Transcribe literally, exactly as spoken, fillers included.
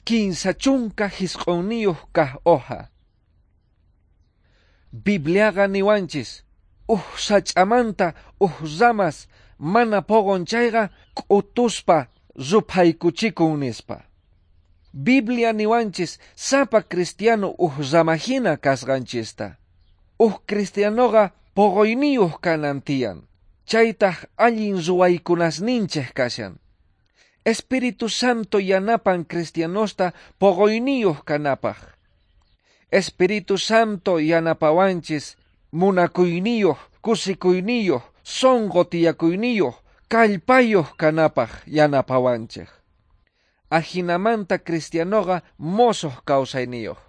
Kinsa chunka jisq'unniyuq kaq hoja. Bibliaqa niwanchis, uj sach'amanta uj ramas mana poqon chayqa k'utuspa ruphaykuchikun nispa. Biblia niwanchis sapa cristiano uj ramahina kasqanchista. Uj cristianoqa poqoyniyuq kanan tiyan. Chaytaq allin ruwaykunasninchik kashan. Espíritu Santo yanapan cristianosta poqoyniyuq kanapaq. Espíritu Santo yanapawanchis munakuyniyuq, kusikuyniyuq, sonqo tiyakuyniyuq, kallpayuq kanapaq yanapawanchik. Ajinamanta cristianoqa mosoq kawsayniyuq.